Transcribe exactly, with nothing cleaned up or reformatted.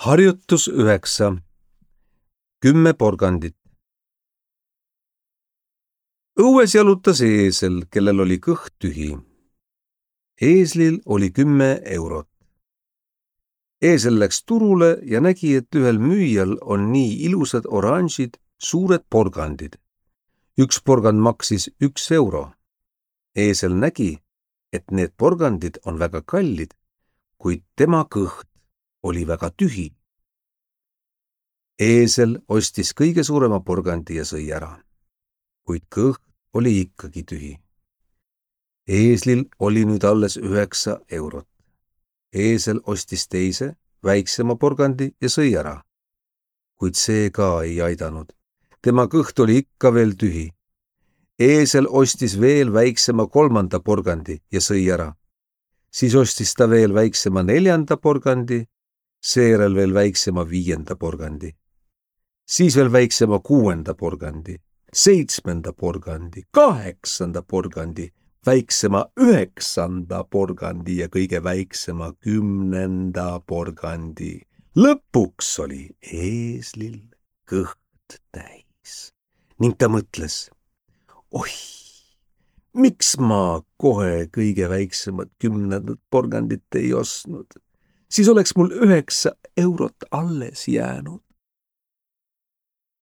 Harjutus üheksa. Kümme porgandit. Õues jalutas eesel, kellel oli kõht tühi. Eeslil oli kümme eurot. Eesel läks turule ja nägi, et ühel müüjal on nii ilusad oranžid, suured porgandid. Üks porgand maksis üks euro. Eesel nägi, et need porgandid on väga kallid, kuid tema kõht oli väga tühi. Eesel ostis kõige suurema porgandi ja sõi ära, kuid kõht oli ikkagi tühi. Eeslil oli nüüd alles üheksa eurot. Eesel ostis teise, väiksema porgandi ja sõi ära, kuid see ka ei aidanud. Tema kõht oli ikka veel tühi. Eesel ostis veel väiksema kolmanda porgandi ja sõi ära. Siis ostis ta veel väiksema neljanda porgandi, seejärel veel väiksema viienda porgandi. Siis veel väiksema kuuenda porgandi, seitsmenda porgandi, kaheksanda porgandi, väiksema üheksanda porgandi ja kõige väiksema kümnenda porgandi. Lõpuks oli Eeslil kõht täis ning ta mõtles, oih, miks ma kohe kõige väiksemat kümnendat porgandit ei ostnud? Siis oleks mul üheksa eurot alles jäänud.